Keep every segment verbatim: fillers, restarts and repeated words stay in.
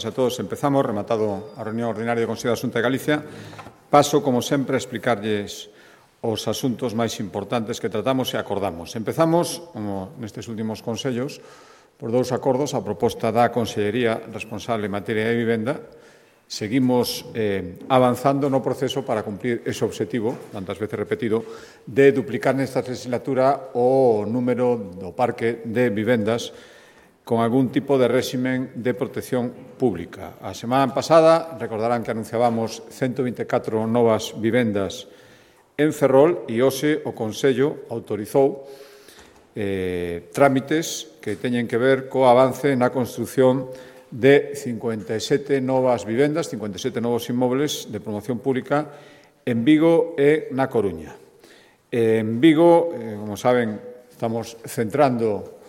A todos, empezamos, rematado a reunión ordinaria do Consello da Xunta de Galicia. Paso, como sempre, a explicarlles os asuntos máis importantes que tratamos e acordamos. Empezamos, como nestes últimos consellos, por dous acordos a proposta da Consellería responsable en materia de vivenda. Seguimos eh, avanzando no proceso para cumprir ese obxectivo, tantas veces repetido, de duplicar nesta legislatura o número do parque de vivendas con algún tipo de réximen de protección pública. A semana pasada, recordarán que anunciábamos ciento vinte e catro novas vivendas en Ferrol e hoxe o Consello autorizou eh, trámites que teñen que ver co avance na construción de cincuenta e sete novas vivendas, cincuenta e sete novos inmobles de promoción pública en Vigo e na Coruña. En Vigo, eh, como saben, estamos centrando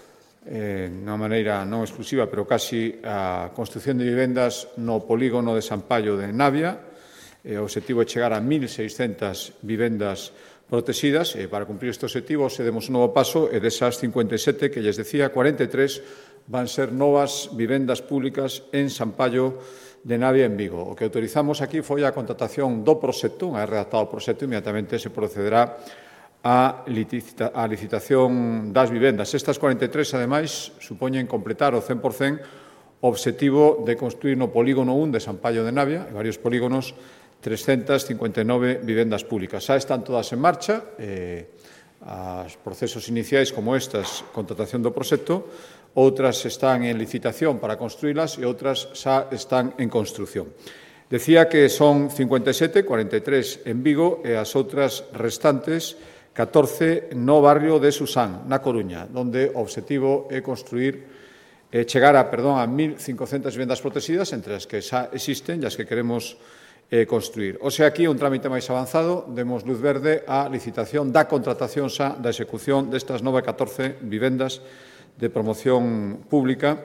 Eh, de unha maneira non exclusiva, pero casi a construción de vivendas no polígono de Sampaio de Navia. Eh, o obxectivo é chegar a mil seiscentas vivendas protegidas e para cumprir este obxectivo se demos un novo paso e desas cincuenta e sete que lles decía, cuarenta e tres van ser novas vivendas públicas en Sampaio de Navia en Vigo. O que autorizamos aquí foi a contratación do proxecto, unha vez redactado o proxecto, inmediatamente se procederá a licitación das vivendas. Estas cuarenta e tres, ademais, supoñen completar o cen por cen o obxectivo de construir no polígono un de Sampaio de Navia, e varios polígonos, trescentas cincuenta e nove vivendas públicas. Xa están todas en marcha, eh, os procesos iniciais como estas, contratación do proxecto, outras están en licitación para construílas e outras xa están en construción. Decía que son cincuenta e sete, cuarenta e tres en Vigo e as outras restantes catorce no barrio de Susán, na Coruña, onde o obxectivo é construir, eh, chegar a, perdón, a mil cincocentas vivendas protegidas, entre as que xa existen e as que queremos eh, construir. O sea, aquí un trámite máis avanzado, demos luz verde á licitación da contratación xa da execución destas nove catorce vivendas de promoción pública.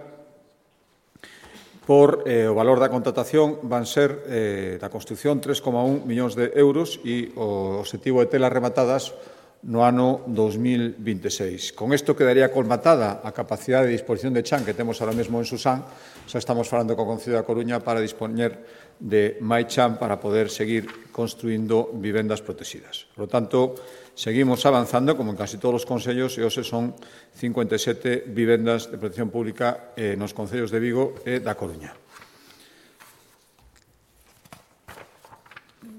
Por eh, o valor da contratación van ser eh, da construción tres coma un millóns de euros e o obxectivo de telas rematadas no ano dos mil vinte e seis. Con isto quedaría colmatada a capacidade de disposición de chan que temos ahora mesmo en Susán. Xa estamos falando co Concello da Coruña para dispoñer de máis chan para poder seguir construindo vivendas protegidas. Por lo tanto, seguimos avanzando, como en casi todos os concellos, e hoxe son cincuenta e sete vivendas de protección pública eh, nos concellos de Vigo e da Coruña.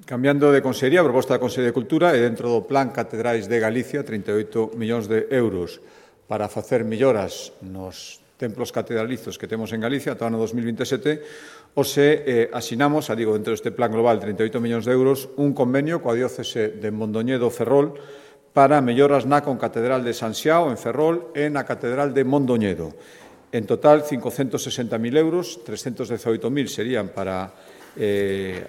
Cambiando de consellería, a proposta da Consellería de Cultura e dentro do Plan Catedrais de Galicia, trinta e oito millóns de euros para facer melloras nos templos catedralizos que temos en Galicia ata o ano dos mil vinte e sete, hoxe eh, asinamos, a digo, dentro deste plan global, trinta e oito millóns de euros, un convenio coa diócese de Mondoñedo Ferrol para melloras na concatedral de San Xiao, en Ferrol, e na catedral de Mondoñedo. En total, cincocentos sesenta mil euros, trescentos dezaoito mil serían para eh,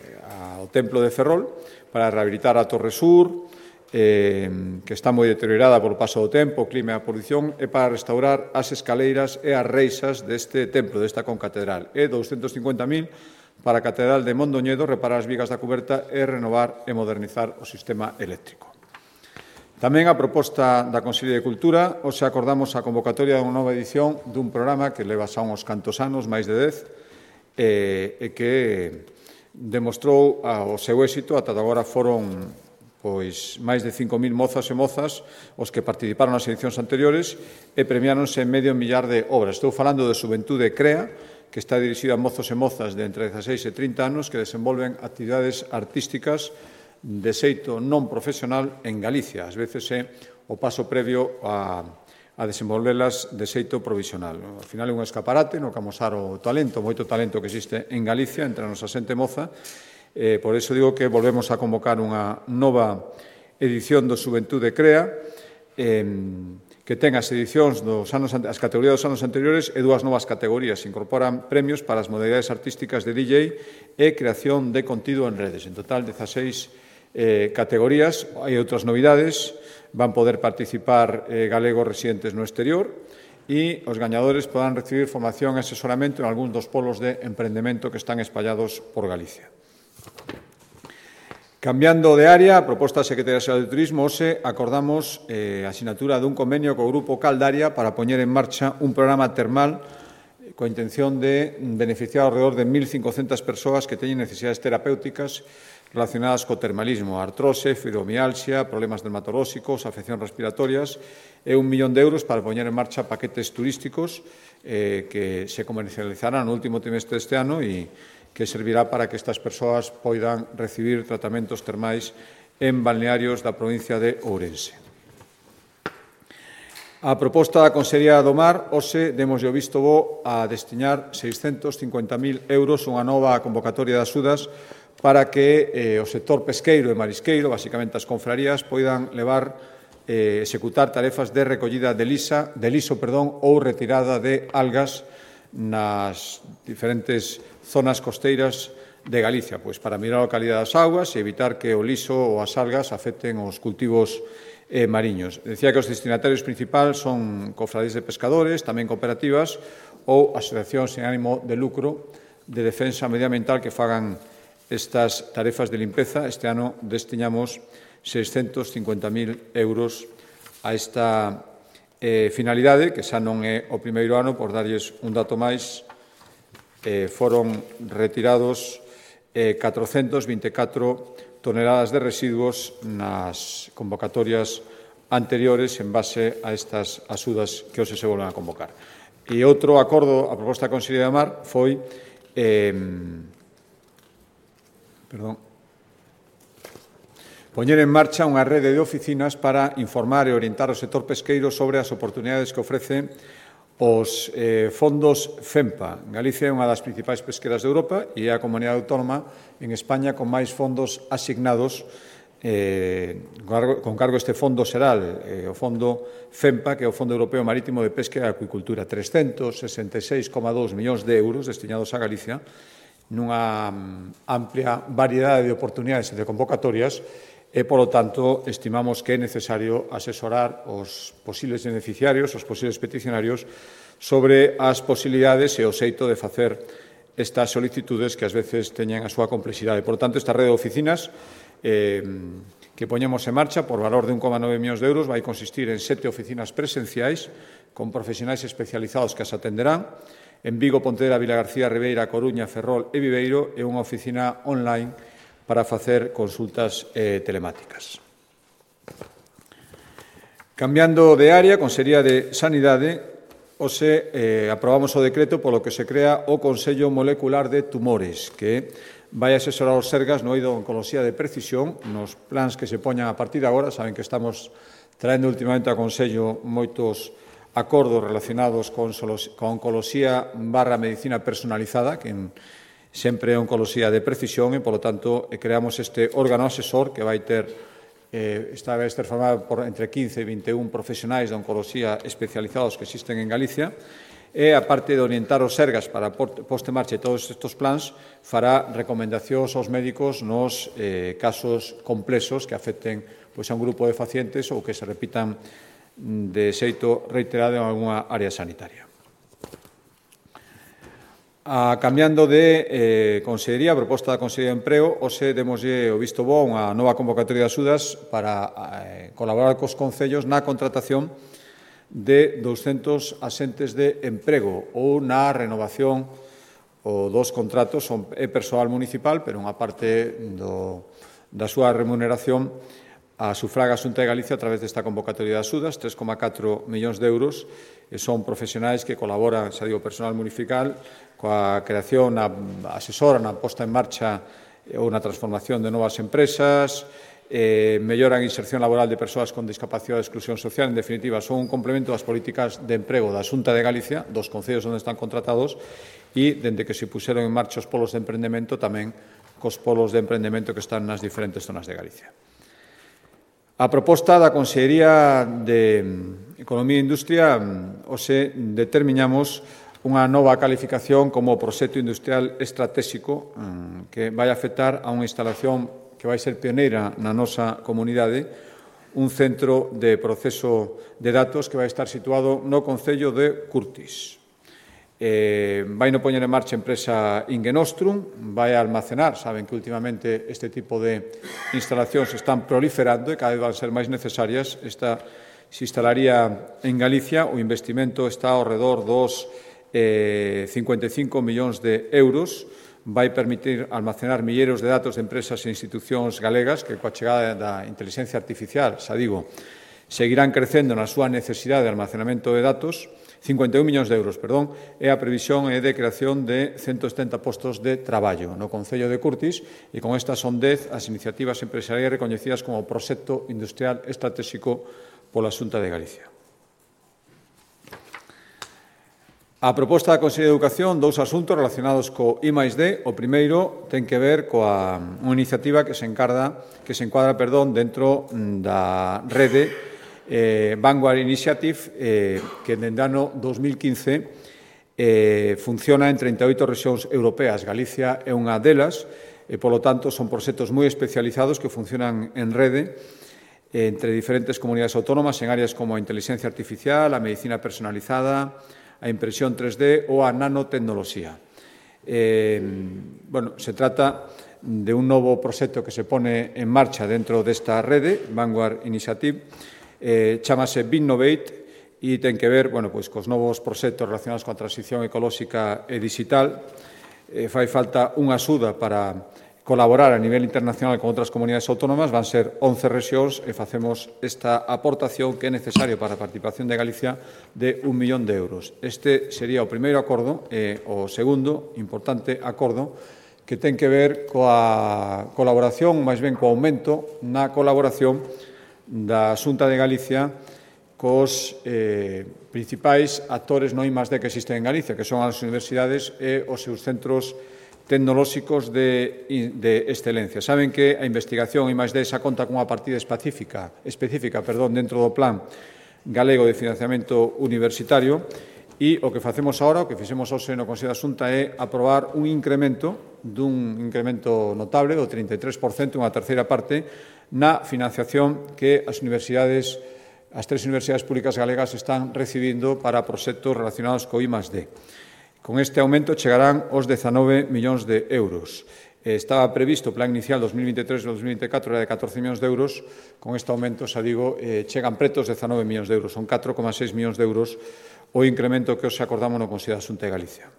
ao templo de Ferrol, para rehabilitar a Torre Sur, eh, que está moi deteriorada polo paso do tempo, o clima e a polución, e para restaurar as escaleiras e as reixas deste templo, desta concatedral. E douscentos cincuenta mil para a catedral de Mondoñedo, reparar as vigas da cuberta e renovar e modernizar o sistema eléctrico. Tamén a proposta da Consellería de Cultura, hoxe acordamos a convocatoria dunha nova edición dun programa que leva xa uns cantos anos, máis de dez, e, e que demostrou o seu éxito. Ata agora foron pois máis de cinco mil mozas e mozas os que participaron nas edicións anteriores e premiáronse en medio millar de obras. Estou falando de Xuventude Crea, que está dirixida a mozos e mozas de entre dezaseis e trinta anos que desenvolven actividades artísticas de xeito non profesional en Galicia. Ás veces é o paso previo a, a desenvolvelas de xeito provisional. Ao final é un escaparate no que amosar o talento, moito talento que existe en Galicia entre a nosa xente moza. Eh, por iso digo que volvemos a convocar unha nova edición do Xuventude Crea, eh, que ten as edicións dos anos, as categorías dos anos anteriores e dúas novas categorías. Se incorporan premios para as modalidades artísticas de D J e creación de contido en redes. En total, dezaseis eh, categorías. Hai outras novidades. Van poder participar eh, galegos residentes no exterior e os gañadores poderán recibir formación e asesoramento en algúns dos polos de emprendemento que están espallados por Galicia. Cambiando de área, a proposta da Secretaría Xeral de Turismo, hoxe acordamos eh, a asinatura dun convenio co Grupo Caldaria para poñer en marcha un programa termal coa intención de beneficiar alrededor de mil cincocentas persoas que teñen necesidades terapéuticas relacionadas co termalismo, artrose, fibromialgia, problemas dermatolóxicos, afeccións respiratorias, e un millón de euros para poñer en marcha paquetes turísticos eh, que se comercializarán no último trimestre deste ano e que servirá para que estas persoas poidan recibir tratamentos termais en balnearios da provincia de Ourense. A proposta da Consellería do Mar, hoxe demos o visto bo a destinar seiscentos cincuenta mil euros unha nova convocatoria de axudas para que eh, o sector pesqueiro e marisqueiro, basicamente as confrarías, poidan levar, eh, executar tarefas de recollida de, lisa, de liso perdón, ou retirada de algas nas diferentes zonas costeiras de Galicia, pois para mirar a calidad das augas e evitar que o liso ou as algas afecten os cultivos eh, mariños. Decía que os destinatarios principais son cofradías de pescadores, tamén cooperativas ou asociacións sen ánimo de lucro de defensa medioambiental que fagan estas tarefas de limpeza. Este ano destinamos seiscentos cincuenta mil euros a esta eh, finalidade, que xa non é o primeiro ano, por darlles un dato máis, eh, foron retirados eh, catrocentas vinte e catro toneladas de residuos nas convocatorias anteriores en base a estas axudas que hoxe se volven a convocar. E outro acordo, a proposta da Consellería do Mar, foi eh, perdón, poñer en marcha unha rede de oficinas para informar e orientar o sector pesqueiro sobre as oportunidades que ofrecen os eh, fondos FEMPA. Galicia é unha das principais pesqueras de Europa e é a comunidade autónoma en España con máis fondos asignados eh, con cargo a este fondo xeral, eh, o fondo FEMPA, que é o Fondo Europeo Marítimo de Pesca e Acuicultura, trescentos sesenta e seis coma dous millóns de euros destinados a Galicia, nunha amplia variedade de oportunidades e de convocatorias, e, polo tanto, estimamos que é necesario asesorar os posibles beneficiarios, os posibles peticionarios, sobre as posibilidades e o xeito de facer estas solicitudes que ás veces teñen a súa complexidade. Por tanto, esta rede de oficinas eh, que poñemos en marcha por valor de un coma nove millóns de euros vai consistir en sete oficinas presenciais con profesionais especializados que as atenderán en Vigo, Pontevedra, Vilagarcía, Ribeira, Coruña, Ferrol e Viveiro, e unha oficina online para facer consultas eh, telemáticas. Cambiando de área, Consellería de Sanidade, hoxe eh, aprobamos o decreto polo que se crea o Consello Molecular de Tumores, que vai asesorar os Sergas no eido de oncoloxía de precisión, nos plans que se poñan a partir de agora. Saben que estamos traendo últimamente ao Consello moitos acordos relacionados con, con oncoloxía barra medicina personalizada, que en sempre é oncoloxía de precisión, e, polo tanto, creamos este órgano asesor que vai ter, eh, esta vai estar formado por entre quince e vinte e un profesionais de oncoloxía especializados que existen en Galicia, e, aparte de orientar os Sergas para poste marcha todos estes plans, fará recomendacións aos médicos nos eh, casos complexos que afecten pois, a un grupo de pacientes ou que se repitan de xeito reiterado en alguna área sanitaria. A, cambiando de eh, Consellería, a proposta da Consellería de Emprego, hoxe demoslle o visto bo unha nova convocatoria de axudas para eh, colaborar cos concellos na contratación de douscentos axentes de emprego ou na renovación ou dos contratos. Son, é persoal municipal, pero unha parte do, da súa remuneración a sufraga a Xunta de Galicia a través desta convocatoria de axudas, tres coma catro millóns de euros, e son profesionais que colaboran, xa digo, personal municipal, coa creación, na asesora, na posta en marcha ou na transformación de novas empresas, eh, melloran a inserción laboral de persoas con discapacidade e exclusión social. En definitiva, son un complemento das políticas de emprego da Xunta de Galicia, dos concellos onde están contratados, e, dende que se puseron en marcha os polos de emprendemento, tamén cos polos de emprendemento que están nas diferentes zonas de Galicia. A proposta da Consellería de Economía e Industria, hoxe determinamos unha nova calificación como proxecto industrial estratégico que vai afectar a unha instalación que vai ser pioneira na nosa comunidade, un centro de proceso de datos que vai estar situado no concello de Curtis. Eh, vai no poñer en marcha a empresa Ingenostrum, vai almacenar, saben que últimamente este tipo de instalacións están proliferando e cada vez van ser máis necesarias. Esta se instalaría en Galicia, o investimento está ao redor dos eh, cincuenta e cinco millóns de euros, vai permitir almacenar milleiros de datos de empresas e institucións galegas que, coa chegada da inteligencia artificial, xa digo, seguirán crecendo na súa necesidade de almacenamento de datos. cincuenta e un millóns de euros, perdón, e a previsión é de creación de ciento setenta postos de traballo no Concello de Curtis, e con estas son dez as iniciativas empresariais recoñecidas como proxecto industrial estratégico pola Xunta de Galicia. A proposta da Consellería de Educación, dous asuntos relacionados co I máis D. O primeiro ten que ver coa unha iniciativa que se encarga, que se encuadra, perdón, dentro da rede eh, Vanguard Initiative, eh, que dende ano dos mil quince eh, funciona en trinta e oito rexións europeas. Galicia é unha delas, e, polo tanto, son proxectos moi especializados que funcionan en rede eh, entre diferentes comunidades autónomas en áreas como a inteligencia artificial, a medicina personalizada, a impresión tres D ou a nanotecnoloxía. Eh, bueno, se trata de un novo proxecto que se pone en marcha dentro desta rede, Vanguard Initiative, eh, chamase Binnovate, e ten que ver, bueno, pois, cos novos proxectos relacionados coa transición ecolóxica e digital. Eh, fai falta unha axuda para colaborar a nivel internacional con outras comunidades autónomas, van ser once rexións e facemos esta aportación que é necesario para a participación de Galicia de un millón de euros. Este sería o primeiro acordo e o segundo importante acordo que ten que ver coa colaboración, máis ben co aumento na colaboración da Xunta de Galicia cos eh, principais actores no I máis D que existen en Galicia, que son as universidades e os seus centros tecnolóxicos de, de excelencia. Saben que a investigación I máis D xa conta cunha partida específica, específica perdón, dentro do Plan Galego de Financiamento Universitario, e o que facemos agora, o que fixemos hoxe no Consello da Xunta é aprobar un incremento dun incremento notable do trinta e tres por cento, unha terceira parte, na financiación que as universidades, as tres universidades públicas galegas están recibindo para proxectos relacionados co I máis D. Con este aumento chegarán os dezanove millóns de euros. Estaba previsto o plan inicial dos mil vinte e tres e dos mil vinte e catro era de catorce millóns de euros. Con este aumento, xa digo, eh, chegan pretos dezanove millóns de euros. Son catro coma seis millóns de euros o incremento que os acordamos no Consello da Xunta de Galicia.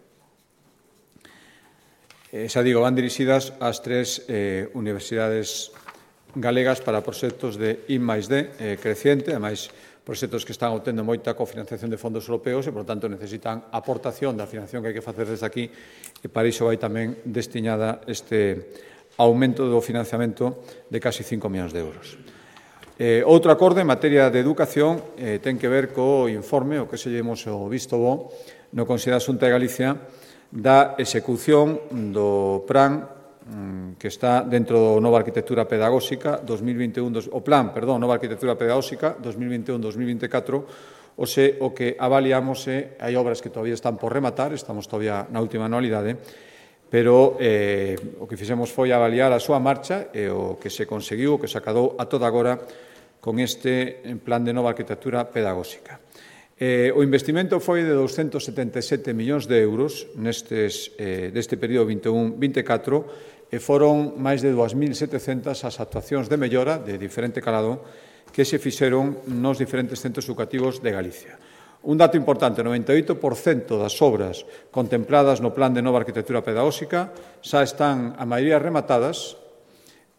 Eh, xa digo, van dirixidas ás tres eh, universidades galegas para proxectos de I máis D eh, creciente, ademais proxectos que están obtendo moita cofinanciación de fondos europeos e, por tanto, necesitan aportación da financiación que hai que facer desde aquí, e para iso vai tamén destinada este aumento do financiamento de casi cinco millóns de euros. Eh, outro acordo en materia de educación eh, ten que ver co informe, o que se llevemos o visto bo, no Consello da Xunta de Galicia, da execución do plan que está dentro do Nova Arquitectura Pedagóxica dos mil vinte e un, o plan, perdón, Nova Arquitectura Pedagóxica dos mil vinte e un dos mil vinte e catro, o se o que avaliamos é, hai obras que todavía están por rematar, estamos todavía na última anualidade, pero eh, o que fixemos foi avaliar a súa marcha e o que se conseguiu, o que se acadou a toda agora con este plan de Nova Arquitectura Pedagóxica. Eh, o investimento foi de douscentos setenta e sete millóns de euros nestes, eh, deste período vinte e un vinte e catro, e foron máis de dúas mil setecentas as actuacións de mellora de diferente calado que se fixeron nos diferentes centros educativos de Galicia. Un dato importante, o noventa e oito por cento das obras contempladas no Plan de Nova Arquitectura Pedagóxica xa están a maioría rematadas,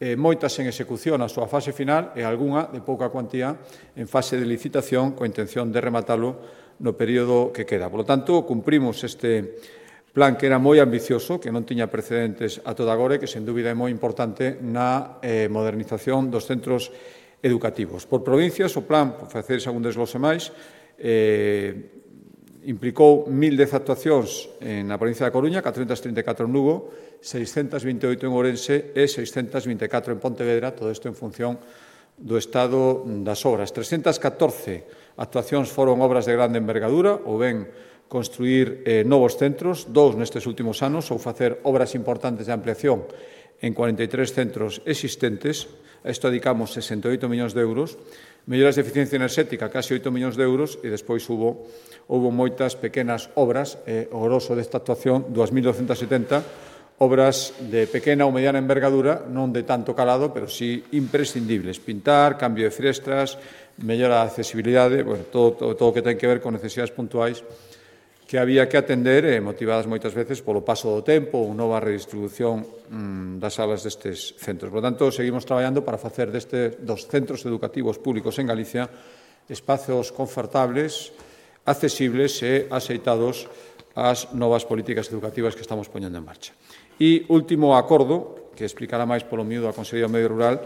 eh, moitas en execución a súa fase final e algunha de pouca cuantía en fase de licitación coa intención de rematalo no período que queda. Por lo tanto, cumprimos este plan que era moi ambicioso, que non tiña precedentes a toda agora e que, sen dúbida, é moi importante na eh, modernización dos centros educativos. Por provincias, o plan, por facer algún desglose máis, eh, implicou mil dez actuacións na provincia da Coruña, catrocentas trinta e catro en Lugo, seiscentas vinte e oito en Ourense e seiscentas vinte e catro en Pontevedra, todo isto en función do estado das obras. trescentas catorce actuacións foron obras de grande envergadura, ou ben construir eh, novos centros, dous nestes últimos anos, ou facer obras importantes de ampliación en cuarenta e tres centros existentes. A isto dedicamos sesenta e oito millóns de euros, melloras de eficiencia enerxética, casi oito millóns de euros, e despois hubo, hubo moitas pequenas obras, eh, o grosso desta actuación, dúas mil douscentas setenta, obras de pequena ou mediana envergadura, non de tanto calado, pero sí imprescindibles. Pintar, cambio de frestras, mellora da accesibilidade, bueno, todo, todo, todo o que ten que ver con necesidades puntuais que había que atender, eh, motivadas moitas veces polo paso do tempo ou nova redistribución mm, das salas destes centros. Por tanto, seguimos traballando para facer deste, dos centros educativos públicos en Galicia espazos confortables, accesibles e axeitados ás novas políticas educativas que estamos poñendo en marcha. E último acordo, que explicará máis polo miúdo a Consellería do Medio Rural,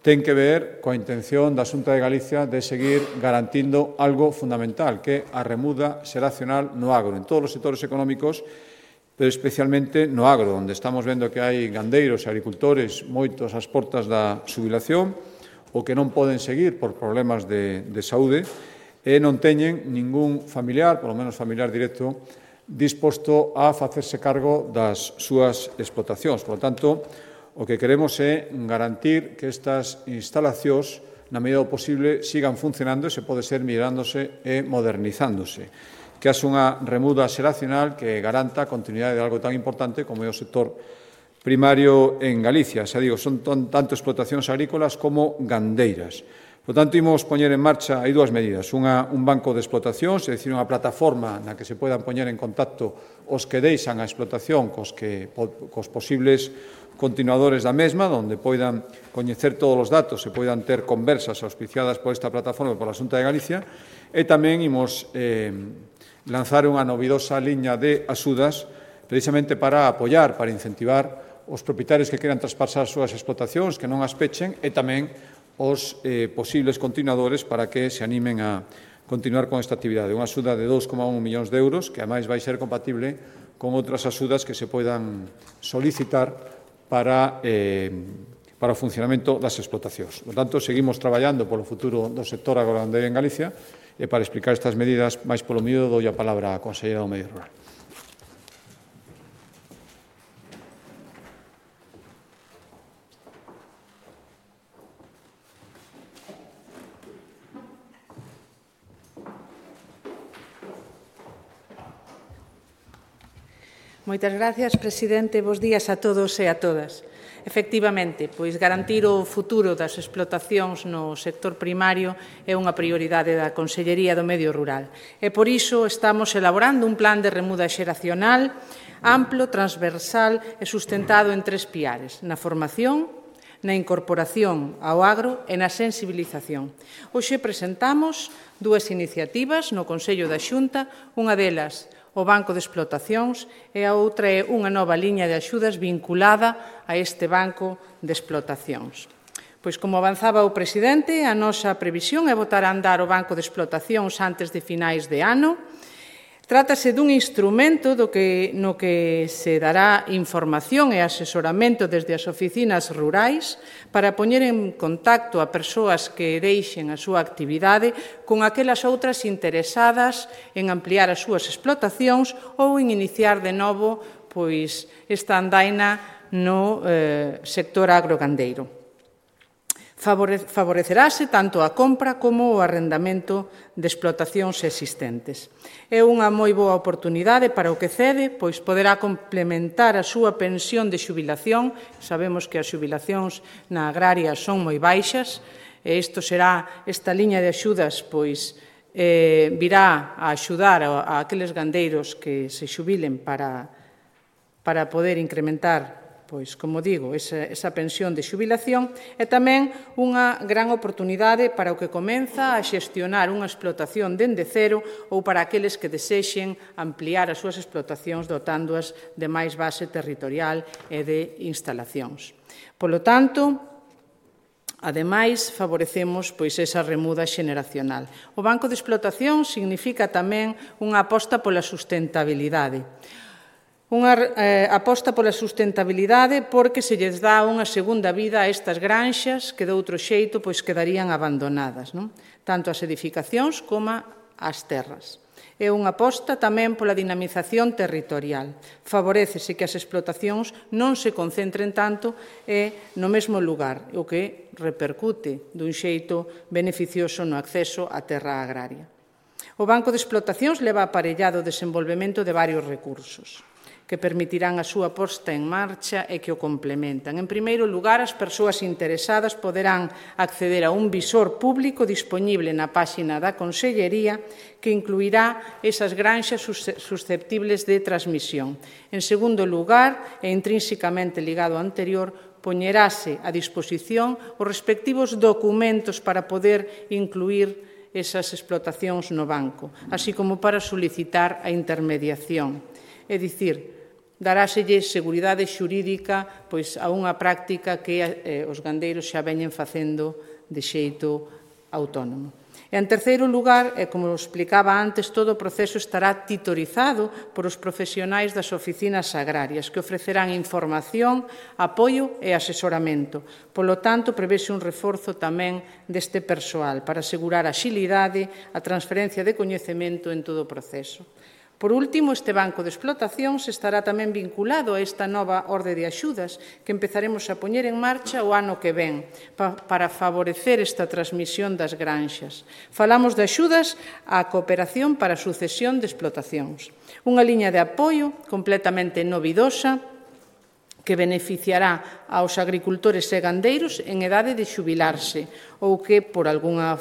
ten que ver coa intención da Xunta de Galicia de seguir garantindo algo fundamental, que é a remuda xeracional no agro, en todos os sectores económicos, pero especialmente no agro, onde estamos vendo que hai gandeiros e agricultores moitos ás portas da xubilación ou que non poden seguir por problemas de, de saúde e non teñen ningún familiar, polo menos familiar directo, disposto a facerse cargo das súas explotacións. Por lo tanto, o que queremos é garantir que estas instalacións, na medida do posible, sigan funcionando e se pode ser mirándose e modernizándose. Que haxe unha remuda xeracional que garanta a continuidade de algo tan importante como é o sector primario en Galicia. Xa digo, son tanto explotacións agrícolas como gandeiras. Por tanto, imos poñer en marcha, hai dúas medidas. Unha, un banco de explotacións, é dicir, unha plataforma na que se podan poñer en contacto os que deixan a explotación cos, que, cos posibles continuadores da mesma, onde poidan coñecer todos os datos e poidan ter conversas auspiciadas por esta plataforma e por a Xunta de Galicia, e tamén imos eh, lanzar unha novidosa liña de axudas precisamente para apoiar, para incentivar os propietarios que queran traspasar as súas explotacións, que non as pechen, e tamén os eh, posibles continuadores para que se animen a continuar con esta actividade. Unha axuda de dous coma un millóns de euros, que ademais vai ser compatible con outras axudas que se poidan solicitar para, eh, para o funcionamento das explotacións. Por tanto, seguimos traballando polo futuro do sector agrogandeiro en Galicia e para explicar estas medidas máis polo miúdo dou a palabra á Conselleira do Medio Rural. Moitas gracias, presidente. Bos días a todos e a todas. Efectivamente, pois garantir o futuro das explotacións no sector primario é unha prioridade da Consellería do Medio Rural. E por iso estamos elaborando un plan de remuda xeracional amplo, transversal e sustentado en tres piares: na formación, na incorporación ao agro e na sensibilización. Hoxe presentamos dúas iniciativas no Consello da Xunta, unha delas o Banco de Explotacións e a outra é unha nova liña de axudas vinculada a este Banco de Explotacións. Pois, como avanzaba o presidente, a nosa previsión é botar a andar o Banco de Explotacións antes de finais de ano. Trátase dun instrumento do que, no que se dará información e asesoramento desde as oficinas rurais para poñer en contacto a persoas que deixen a súa actividade con aquelas outras interesadas en ampliar as súas explotacións ou en iniciar de novo pois, esta andaina no eh, sector agrogandeiro. Favorecerase tanto a compra como o arrendamento de explotacións existentes. É unha moi boa oportunidade para o que cede, pois poderá complementar a súa pensión de xubilación. Sabemos que as xubilacións na agraria son moi baixas, e isto será, esta liña de axudas, pois, eh, virá a axudar a, a aqueles gandeiros que se xubilen para, para poder incrementar, pois, como digo, esa, esa pensión de xubilación, e tamén unha gran oportunidade para o que comeza a xestionar unha explotación dende cero ou para aqueles que desexen ampliar as súas explotacións dotándoas de máis base territorial e de instalacións. Polo tanto, ademais, favorecemos pois, esa remuda xeneracional. O Banco de Explotación significa tamén unha aposta pola sustentabilidade. Unha eh, aposta pola sustentabilidade porque se lles dá unha segunda vida a estas granxas que de outro xeito pois, quedarían abandonadas, non? Tanto as edificacións como as terras. É unha aposta tamén pola dinamización territorial. Favorécese que as explotacións non se concentren tanto e no mesmo lugar, o que repercute dun xeito beneficioso no acceso á terra agraria. O Banco de Explotacións leva aparellado o desenvolvemento de varios recursos. que permitirán a súa posta en marcha e que o complementan. En primeiro lugar, as persoas interesadas poderán acceder a un visor público dispoñible na páxina da Consellería que incluirá esas granxas susceptibles de transmisión. En segundo lugar, e intrínsecamente ligado ao anterior, poñerase a disposición os respectivos documentos para poder incluir esas explotacións no banco, así como para solicitar a intermediación. É dicir, daráselle seguridade xurídica pois, a unha práctica que eh, os gandeiros xa veñen facendo de xeito autónomo. E, en terceiro lugar, e como explicaba antes, todo o proceso estará titorizado por os profesionais das oficinas agrarias, que ofrecerán información, apoio e asesoramento. Polo tanto, prevese un reforzo tamén deste persoal para asegurar a axilidade, a transferencia de coñecemento en todo o proceso. Por último, este banco de explotacións estará tamén vinculado a esta nova orde de axudas que empezaremos a poñer en marcha o ano que ven para favorecer esta transmisión das granxas. Falamos de axudas á cooperación para a sucesión de explotacións. Unha liña de apoio completamente novidosa que beneficiará aos agricultores e gandeiros en edade de xubilarse ou que, por algunha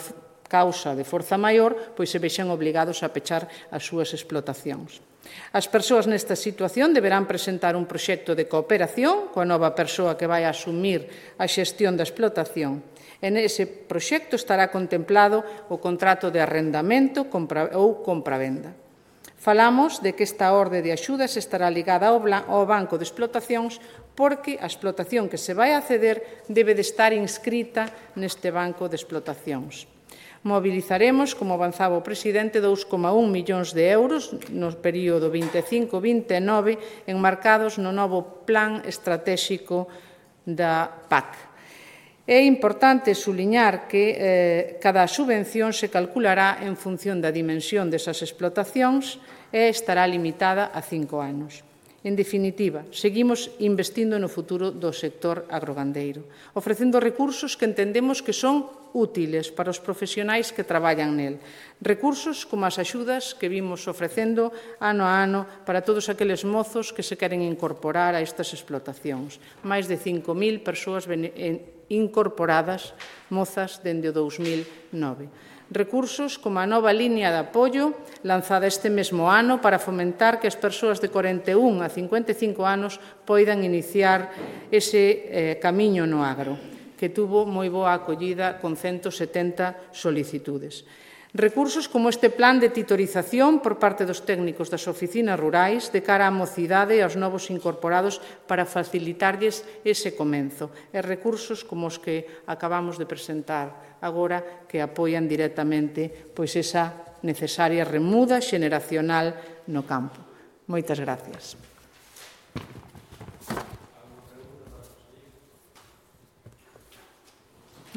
causa de forza maior, pois se vexan obligados a pechar as súas explotacións. As persoas nesta situación deberán presentar un proxecto de cooperación coa nova persoa que vai a asumir a xestión da explotación. En ese proxecto estará contemplado o contrato de arrendamento ou compravenda. Falamos de que esta orde de axudas estará ligada ao banco de explotacións porque a explotación que se vai a ceder debe de estar inscrita neste banco de explotacións. Mobilizaremos, como avanzaba o presidente, dous coma un millóns de euros no período vinte e cinco vinte e nove enmarcados no novo plan estratéxico da P A C. É importante suliñar que eh, cada subvención se calculará en función da dimensión desas explotacións e estará limitada a cinco anos. En definitiva, seguimos investindo no futuro do sector agrogandeiro, ofrecendo recursos que entendemos que son útiles para os profesionais que traballan nel. Recursos como as axudas que vimos ofrecendo ano a ano para todos aqueles mozos que se queren incorporar a estas explotacións. Máis de cinco mil persoas incorporadas, mozas, dende o dous mil nove. Recursos como a nova liña de apoio lanzada este mesmo ano para fomentar que as persoas de corenta e un a cincuenta e cinco anos poidan iniciar ese eh, camiño no agro, que tuvo moi boa acollida con ciento setenta solicitudes. Recursos como este plan de titorización por parte dos técnicos das oficinas rurais de cara á mocidade e aos novos incorporados para facilitarlles ese comenzo. E recursos como os que acabamos de presentar agora que apoian directamente pois esa necesaria remuda xeneracional no campo. Moitas gracias.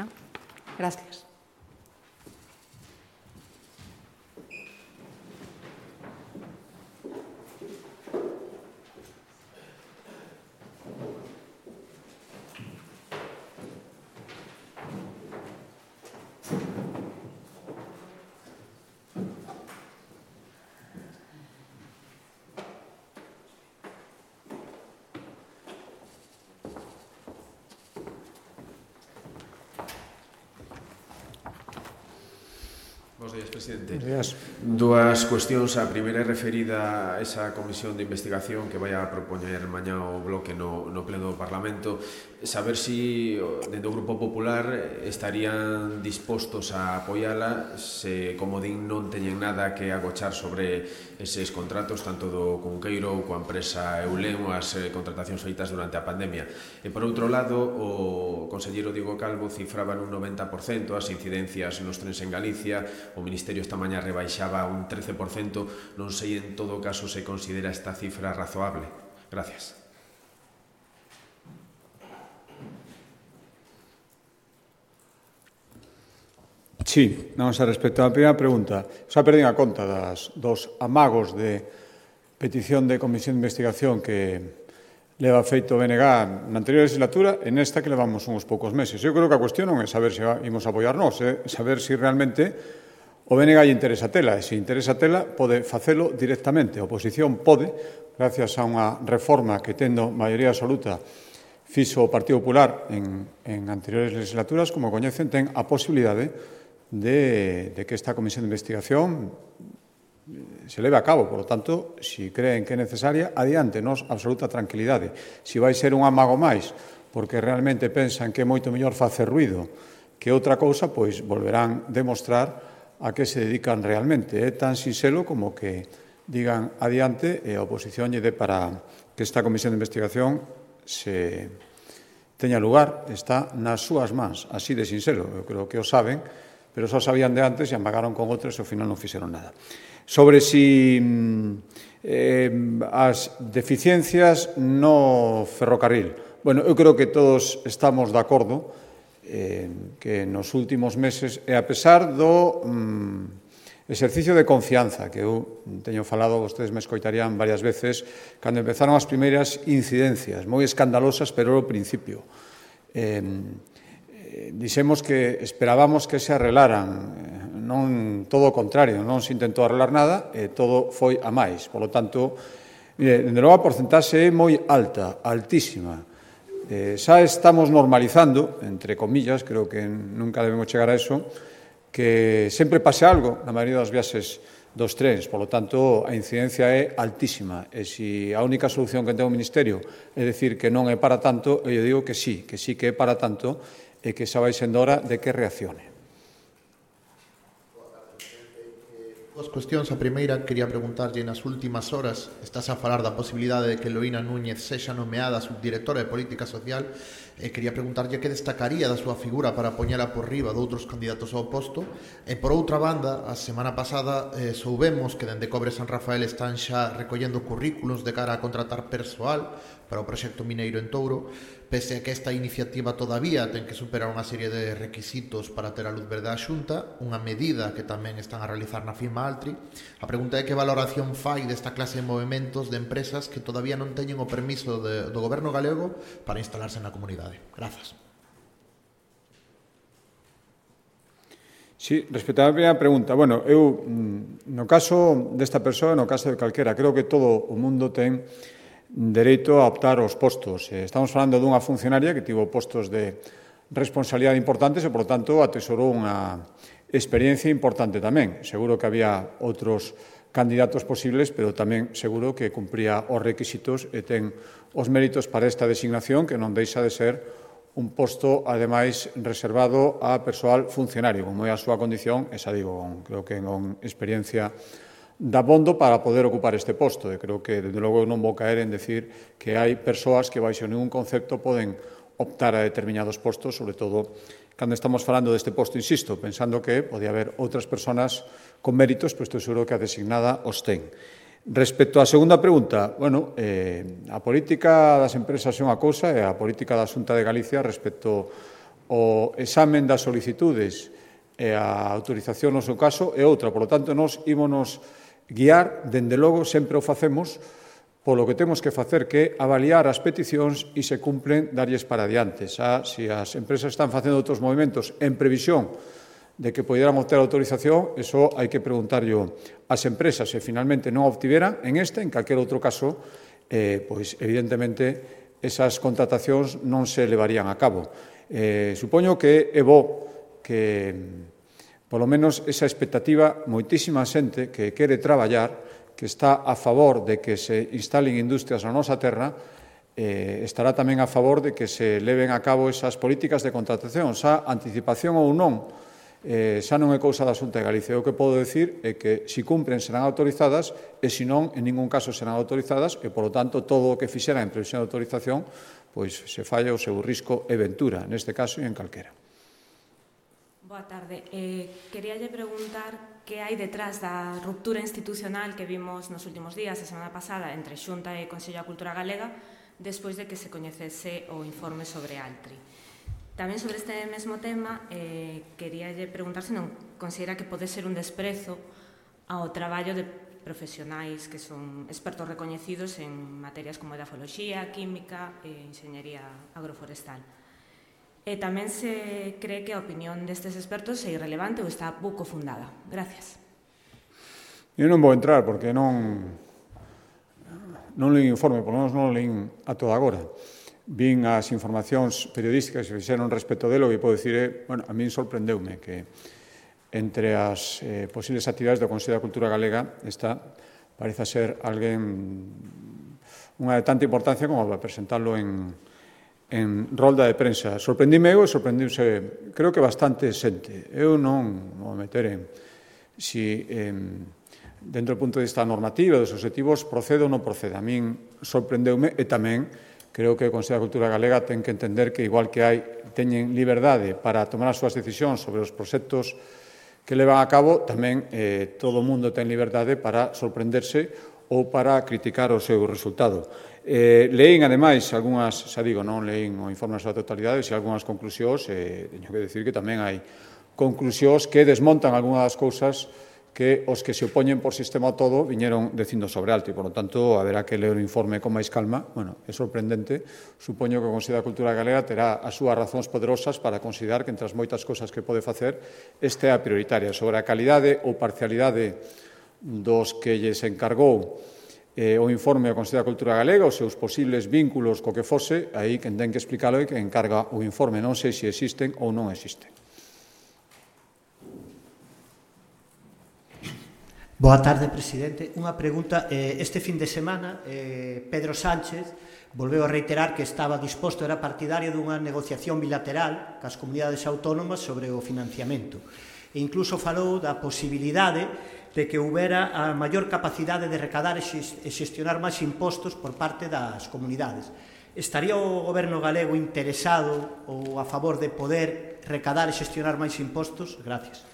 ¿No? Gracias. Bos días, presidente. Bos días. Dúas cuestións. A primeira é referida a esa comisión de investigación que vai a propoñer mañá o bloque no, no pleno do Parlamento. Saber si, dentro do Grupo Popular, estarían dispostos a apoiala se, como din, non teñen nada que agochar sobre eses contratos, tanto do Cunqueiro ou coa empresa Eulem ou as contratacións feitas durante a pandemia. E, por outro lado, o conselleiro Diego Calvo cifraba nun noventa por cento as incidencias nos trens en Galicia. O Ministerio esta mañá rebaixaba un trece por cento. Non sei, en todo caso, se considera esta cifra razoable. Gracias. Sí, vamos a respecto á primeira pregunta. Xa perdín a conta das, dos amagos de petición de comisión de investigación que leva feito o B N G na anterior legislatura e nesta que levamos uns poucos meses. Eu creo que a cuestión non é saber se imos apoiar nós, é saber se realmente O B N G lle interesa tela, e se interesa tela pode facelo directamente. A oposición pode, gracias a unha reforma que tendo maioría absoluta fixo o Partido Popular en, en anteriores legislaturas, como coñecen, ten a posibilidade de, de que esta comisión de investigación se leve a cabo. Por lo tanto, se creen que é necesaria, adiante, nos absoluta tranquilidade. Se vai ser un amago máis, porque realmente pensan que é moito mellor facer ruido que outra cousa, pois volverán demostrar a que se dedican realmente. É tan sinxelo como que digan adiante e a oposición lle dé para que esta comisión de investigación se teña lugar, está nas súas mans, así de sinxelo. Eu creo que o saben, pero só sabían de antes e amagaron con outros e ao final non fixeron nada. Sobre si eh, as deficiencias no ferrocarril. Bueno, eu creo que todos estamos de acordo eh, que nos últimos meses, e a pesar do mm, exercicio de confianza que eu teño falado, vostedes me escoitarían varias veces, cando empezaron as primeiras incidencias, moi escandalosas, pero ao principio. Eh, eh, dixemos que esperábamos que se arreglaran, non todo o contrario, non se intentou arreglar nada, e todo foi a máis. Por lo tanto, mire, dende logo a porcentaxe é moi alta, altísima. Eh, xa estamos normalizando, entre comillas, creo que nunca debemos chegar a eso, que sempre pase algo na maioría das viaxes dos trens. Por lo tanto, a incidencia é altísima. E se a única solución que ten o Ministerio é dicir que non é para tanto, eu digo que sí, que sí que é para tanto e que xa vai sendo hora de que reaccione. Dos cuestións. A primeira, quería preguntarlle, nas últimas horas estás a falar da posibilidade de que Loína Núñez sexa nomeada subdirectora de Política Social, e quería preguntarlle que destacaría da súa figura para poñela por riba de outros candidatos ao posto. E por outra banda, a semana pasada eh, soubemos que dende Cobre San Rafael están xa recollendo currículos de cara a contratar persoal para o proxecto mineiro en Touro, pese a que esta iniciativa todavía ten que superar unha serie de requisitos para ter a luz verde á Xunta, unha medida que tamén están a realizar na firma Altri. A pregunta é que valoración fai desta clase de movimentos de empresas que todavía non teñen o permiso de, do goberno galego para instalarse na comunidade. Grazas. Sí, respecto á primeira pregunta, bueno, eu, no caso desta persoa, no caso de calquera, creo que todo o mundo ten dereito a optar aos postos. Estamos falando dunha funcionaria que tivo postos de responsabilidade importantes e, por tanto, atesorou unha experiencia importante tamén. Seguro que había outros candidatos posibles, pero tamén seguro que cumpría os requisitos e ten os méritos para esta designación, que non deixa de ser un posto, ademais, reservado a persoal funcionario, como é a súa condición, esa digo, creo que con experiencia da bondo para poder ocupar este posto. E creo que, desde logo, non vou caer en decir que hai persoas que, baixo ningún concepto, poden optar a determinados postos, sobre todo cando estamos falando deste posto, insisto, pensando que podía haber outras persoas con méritos, pois estou seguro que a designada os ten. Respecto á segunda pregunta, bueno, eh, a política das empresas é unha cousa e a política da Xunta de Galicia respecto ao examen das solicitudes e a autorización no seu caso é outra. Por lo tanto, nós ímonos guiar, dende logo, sempre o facemos, polo que temos que facer, que avaliar as peticións e se cumplen darlles para adiante. Xa, se as empresas están facendo outros movimentos en previsión de que poderán obter autorización, eso hai que preguntarlle ás empresas. Se finalmente non obtiveran, en este, en calquer outro caso, eh, pois, evidentemente, esas contratacións non se levarían a cabo. Eh, supoño que é bo que, polo menos, esa expectativa, moitísima xente que quere traballar, que está a favor de que se instalen industrias na nosa terra, eh, estará tamén a favor de que se leven a cabo esas políticas de contratación. Xa, anticipación ou non, eh, xa non é cousa da Xunta de Galicia. O que podo decir é que, se cumpren, serán autorizadas, e, se non, en ningún caso serán autorizadas, e, polo tanto, todo o que fixera en previsión de autorización, pois se falla o seu risco e ventura, neste caso e en calquera. Boa tarde. Eh, queríalle preguntar que hai detrás da ruptura institucional que vimos nos últimos días, a semana pasada, entre Xunta e Consello da Cultura Galega, despois de que se coñecese o informe sobre Altri. Tamén sobre este mesmo tema, eh, queríalle preguntar se non considera que pode ser un desprezo ao traballo de profesionais que son expertos recoñecidos en materias como edafoloxía, química e enxeñería agroforestal. E tamén se cree que a opinión destes expertos é irrelevante ou está pouco fundada. Gracias. Eu non vou entrar porque non non leí informe, por lo menos non leí a toda agora. Vin as informacións periodísticas que fixeron respecto delo e podo dicir, eh, bueno, a min sorprendeume que entre as eh, posibles actividades do Consello da Cultura Galega está, parece ser alguén unha de tanta importancia como para presentarlo en en rolda de prensa. Sorprendime eu e sorprendiuse, creo que bastante xente. Eu non vou meter en si eh, dentro do punto de vista normativo dos objetivos procede ou non procede. A min sorprendeume e tamén creo que o Consello da Cultura Galega ten que entender que igual que hai teñen liberdade para tomar as súas decisións sobre os proxectos que levan a cabo, tamén eh, todo o mundo ten liberdade para sorprenderse ou para criticar o seu resultado. Eh, leín, ademais, algunhas, xa digo, non leín o informe na súa totalidade, e algunhas conclusións, e teño que decir que tamén hai conclusións que desmontan algunhas das cousas que os que se opoñen por sistema ao todo viñeron dicindo sobre alto, e, por lo tanto, haberá que ler o informe con máis calma. Bueno, é sorprendente. Supoño que o Consello da Cultura Galega terá as súas razóns poderosas para considerar que, entre as moitas cousas que pode facer, esta é a prioritaria. Sobre a calidade ou parcialidade dos que lles encargou eh, o informe ao Consello da Cultura Galega, os seus posibles vínculos co que fose, aí quen ten que explicarlo é que encarga o informe. Non sei se existen ou non existen. Boa tarde, presidente. Unha pregunta. Este fin de semana, Pedro Sánchez volveu a reiterar que estaba disposto, era partidario dunha negociación bilateral cas comunidades autónomas sobre o financiamento. E incluso falou da posibilidade de que houbera a maior capacidade de recadar e xestionar máis impostos por parte das comunidades. Estaría o goberno galego interesado ou a favor de poder recadar e xestionar máis impostos? Gracias.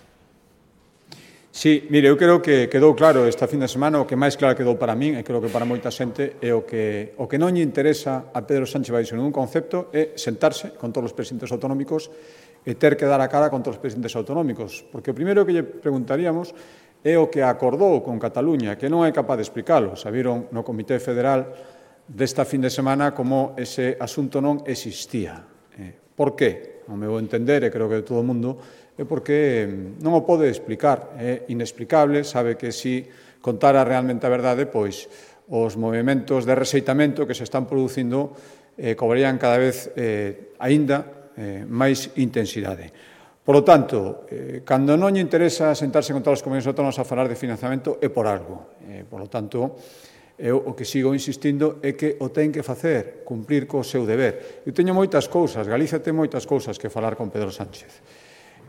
Sí, mire, eu creo que quedou claro esta fin de semana, o que máis claro quedou para min, e creo que para moita xente, é o que, o que non lle interesa a Pedro Sánchez Baixo ningún concepto é sentarse con todos os presidentes autonómicos e ter que dar a cara contra os presidentes autonómicos. Porque o primeiro que lle preguntaríamos é o que acordou con Cataluña, que non é capaz de explicarlo. Sabiron no Comité Federal desta fin de semana como ese asunto non existía. Eh, por qué? O meu entender, e creo que de todo o mundo, é porque non o pode explicar. É inexplicable, sabe que se contara realmente a verdade, pois os movimentos de rexeitamento que se están producindo eh, cobrarían cada vez eh, aínda eh, máis intensidade. Por lo tanto, eh, cando non lle interesa sentarse con todas as comunidades autónomas a falar de financiamento é por algo. Eh, por lo tanto, eu o que sigo insistindo é que o ten que facer, cumprir co seu deber. Eu teño moitas cousas, Galicia ten moitas cousas que falar con Pedro Sánchez.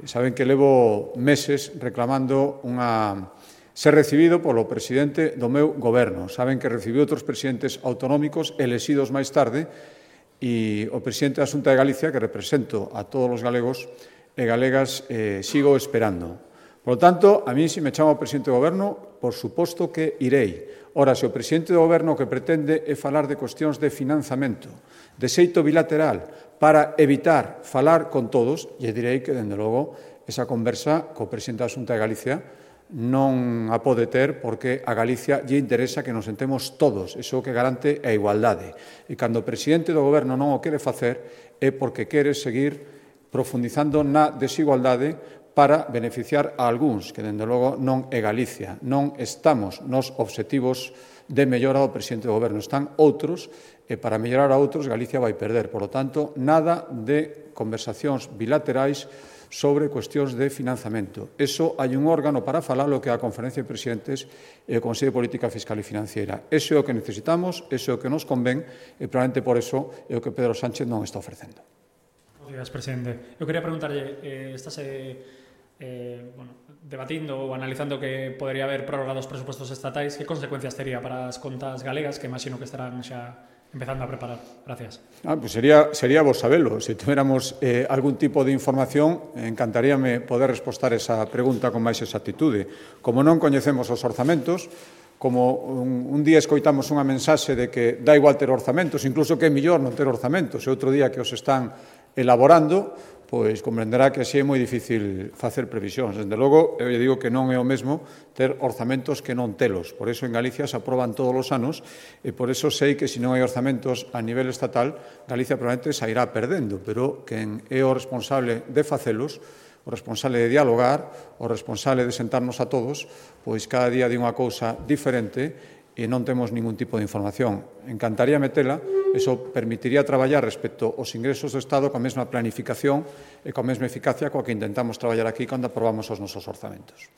Saben que levo meses reclamando unha ser recibido polo presidente do meu goberno. Saben que recibiu outros presidentes autonómicos elexidos máis tarde e o presidente da Xunta de Galicia, que represento a todos os galegos e galegas, eh, sigo esperando. Por lo tanto, a mí, se me chama o presidente do goberno, por suposto que irei. Ora, se o presidente do goberno que pretende é falar de cuestións de financiamento, de xeito bilateral, para evitar falar con todos, lle direi que, dende logo, esa conversa co presidente da Xunta de Galicia non a pode ter porque a Galicia lle interesa que nos sentemos todos. Iso que garante a igualdade. E cando o presidente do goberno non o quere facer é porque quere seguir profundizando na desigualdade para beneficiar a algúns, que, dende logo, non é Galicia. Non estamos nos obxectivos de mellora do presidente do goberno. Están outros, e para mellorar a outros, Galicia vai perder. Por lo tanto, nada de conversacións bilaterais sobre cuestións de financiamento. Eso hai un órgano para falalo que é a Conferencia de Presidentes e o Consello de Política Fiscal e Financiera. Eso é o que necesitamos, eso é o que nos convén, e probablemente por eso é o que Pedro Sánchez non está ofrecendo. Gracias, presidente. Eu quería preguntarlle, eh, estáse eh, bueno, debatindo ou analizando que podería haber prórroga dos presupostos estatais, que consecuencias tería para as contas galegas, que imagino que estarán xa empezando a preparar? Gracias. Ah, pues sería, sería vos sabelo. Se tuviéramos eh, algún tipo de información, encantaríame poder respostar esa pregunta con máis exactitude. Como non coñecemos os orzamentos, como un, un día escoitamos unha mensaxe de que dá igual ter orzamentos, incluso que é mellor non ter orzamentos, e outro día que os están elaborando, pois comprenderá que así é moi difícil facer previsións. Desde logo, eu lle digo que non é o mesmo ter orzamentos que non telos. Por iso en Galicia se aproban todos os anos e por iso sei que se non hai orzamentos a nivel estatal, Galicia probablemente sairá perdendo, pero quen é o responsable de facelos, o responsable de dialogar, o responsable de sentarnos a todos, pois cada día di unha cousa diferente e non temos ningún tipo de información. Encantaría metela, eso permitiría traballar respecto aos ingresos do Estado coa mesma planificación e coa mesma eficacia coa que intentamos traballar aquí cando aprobamos os nosos orzamentos.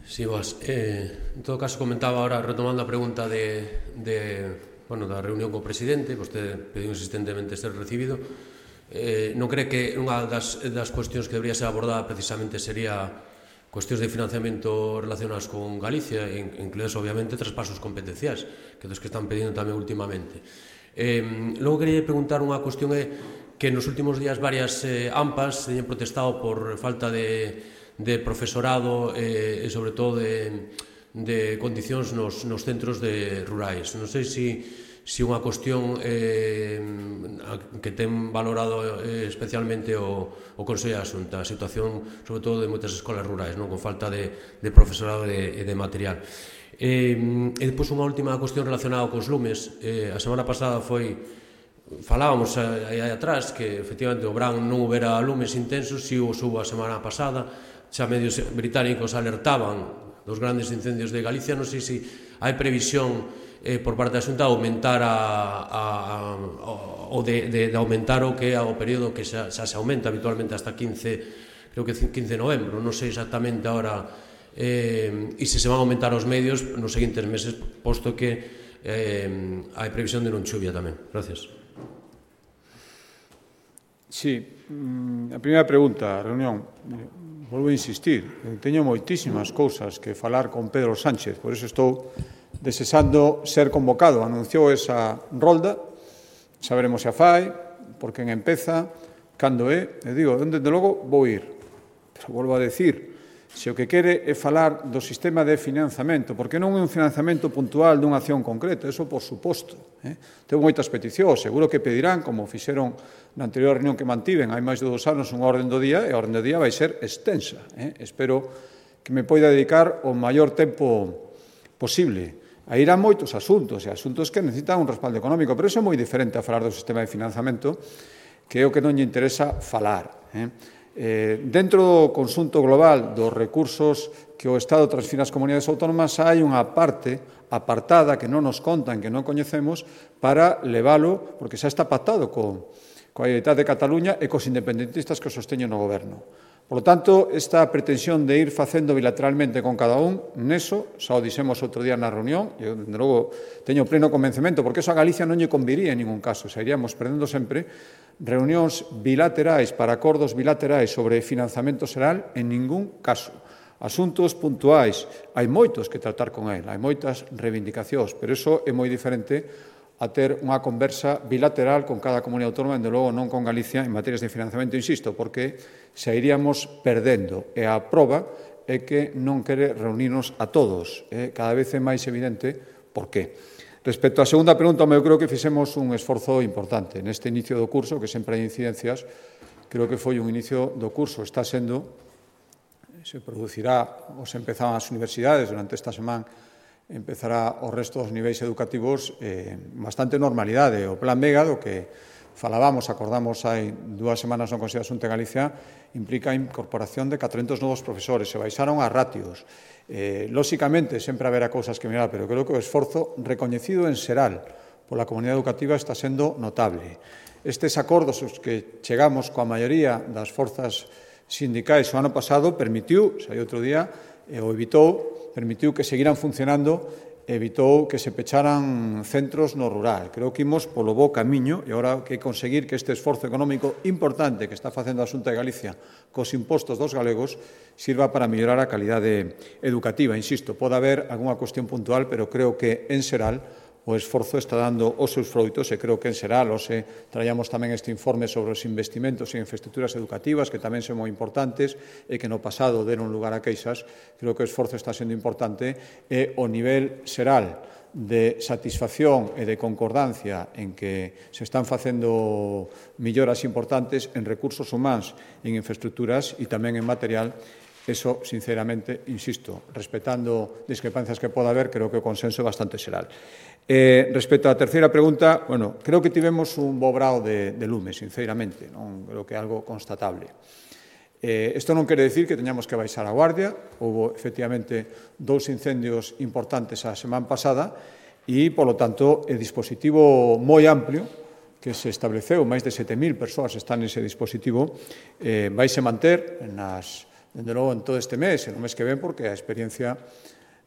Sí, vos. Eh, en todo caso, comentaba ahora, retomando a pregunta de, de, bueno, da reunión co presidente, vostede pediu insistentemente ser recibido. Eh, non cree que unha das, das cuestións que debería ser abordada precisamente sería cuestións de financiamento relacionadas con Galicia, incluídos obviamente traspasos competenciais, que dos que están pedindo tamén últimamente. Eh, logo quería preguntar unha cuestión é que nos últimos días varias eh, AMPAs teñen protestado por falta de, de profesorado eh, e sobre todo de, de condicións nos, nos centros de rurais. Non sei se si unha cuestión eh, que ten valorado eh, especialmente o, o Consello da Xunta, a situación, sobre todo, de moitas escolas rurais, non, con falta de, de profesorado e de, de material. Eh, e depois unha última cuestión relacionada cos lumes. Eh, a semana pasada foi, falábamos aí atrás, que efectivamente o verán non houbera lumes intensos, si o subo a semana pasada, xa medios británicos alertaban dos grandes incendios de Galicia. Non sei se hai previsión Eh, por parte da Xunta aumentar a, a, a, o de, de, de aumentar o que é o período que xa, xa se aumenta habitualmente hasta quince, creo que quince de novembro, non sei exactamente agora eh, e se se van a aumentar os medios nos seguintes meses, posto que eh, hai previsión de non chuvia tamén. Gracias. Sí, a primeira pregunta, a reunión, volvo a insistir, teño moitísimas cousas que falar con Pedro Sánchez, por iso estou desexando ser convocado. Anunciou esa rolda, saberemos se a fai, por quen empeza, cando é, e digo, desde logo vou ir. Pero volvo a decir, se o que quere é falar do sistema de financiamento, porque non é un financiamento puntual dunha acción concreta, eso por suposto. Eh? Tengo moitas peticións, seguro que pedirán, como fixeron na anterior reunión que mantiven, hai máis de dous anos, unha orden do día, e a orden do día vai ser extensa. Eh? Espero que me poida dedicar o maior tempo posible. Aí irán moitos asuntos, e asuntos que necesitan un respaldo económico, pero iso é moi diferente a falar do sistema de financiamento, que é o que non lle interesa falar. Eh? Eh, dentro do conxunto global dos recursos que o Estado transfira ás comunidades autónomas, hai unha parte apartada que non nos contan, que non coñecemos, para leválo, porque xa está pactado co, coa Identidade de Cataluña e cos independentistas que o sosteñen no goberno. Por lo tanto, esta pretensión de ir facendo bilateralmente con cada un, neso, xa o dixemos outro día na reunión, e eu, dende logo, teño pleno convencemento, porque eso a Galicia non lle conviría en ningún caso, xa iríamos perdendo sempre reunións bilaterais para acordos bilaterais sobre financiamento xeral en ningún caso. Asuntos puntuais, hai moitos que tratar con el, hai moitas reivindicacións, pero iso é moi diferente a ter unha conversa bilateral con cada comunidade autónoma, dende logo non con Galicia, en materias de financiamento, insisto, porque xa iríamos perdendo. E a proba é que non quere reunirnos a todos. Eh? Cada vez é máis evidente por qué. Respecto á segunda pregunta, eu creo que fixemos un esforzo importante. Neste inicio do curso, que sempre hai incidencias, creo que foi un inicio do curso. Está sendo, se producirá, ou se empezaban as universidades durante esta semana, empezará o resto dos niveis educativos eh, bastante normalidade. O Plan Vega, do que falábamos, acordamos hai dúas semanas no Consello da Xunta de Galicia, implica a incorporación de catrocentos novos profesores, se baixaron as ratios. Eh, lóxicamente, sempre haberá cousas que mirar, pero creo que o esforzo recoñecido en xeral pola comunidade educativa está sendo notable. Estes acordos os que chegamos coa maioría das forzas sindicais o ano pasado permitiu, xa hai outro día, e o evitou, permitiu que seguiran funcionando, evitou que se pecharan centros no rural. Creo que imos polo bo camiño e agora que conseguir que este esforzo económico importante que está facendo a Xunta de Galicia cos impostos dos galegos sirva para mellorar a calidade educativa. Insisto, pode haber algunha cuestión puntual, pero creo que en xeral o esforzo está dando os seus froitos e creo que en xeral hoxe traíamos tamén este informe sobre os investimentos en infraestructuras educativas que tamén son moi importantes e que no pasado deron lugar a queixas. Creo que o esforzo está sendo importante e o nivel xeral de satisfacción e de concordancia en que se están facendo melloras importantes en recursos humanos, en infraestructuras e tamén en material. Eso, sinceramente, insisto, respetando discrepancias que poda haber, creo que o consenso é bastante xeral. Eh, respecto á terceira pregunta, bueno, creo que tivemos un bo grao de, de lume, sinceramente, non creo que é algo constatable. Eh, isto non quere decir que teñamos que baixar a guardia. Houve, efectivamente, dous incendios importantes a semana pasada e, polo tanto, o dispositivo moi amplio que se estableceu, máis de sete mil persoas están nese dispositivo, eh, vaise manter nas dende logo en todo este mes, en o mes que ven, porque a experiencia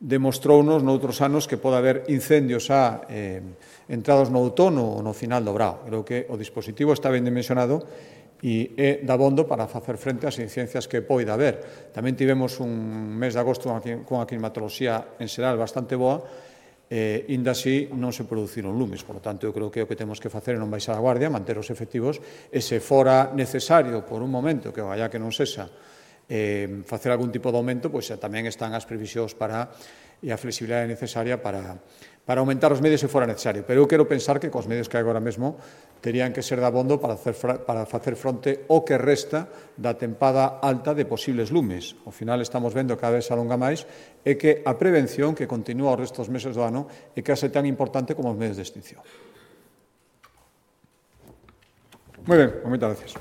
demostrounos noutros anos que pode haber incendios a eh, entrados no outono ou no final do brao. Creo que o dispositivo está ben dimensionado e é dabondo para facer frente ás incidencias que poida haber. Tamén tivemos un mes de agosto con a climatoloxía en xeral bastante boa, e, inda así, non se produciron lumes. Por lo tanto, eu creo que o que temos que facer é non baixar a guardia, manter os efectivos, e se fora necesario por un momento, que vaya que non sexa, Eh, facer algún tipo de aumento, pois tamén están as previsións para e a flexibilidade necesaria para, para aumentar os medios se fora necesario. Pero eu quero pensar que cos medios que hai agora mesmo terían que ser dabondo para hacer, para facer fronte o que resta da tempada alta de posibles lumes. Ao final estamos vendo cada vez alonga máis e que a prevención que continúa os restos meses do ano é case tan importante como os medios de extinción. Moi ben, moitas gracias.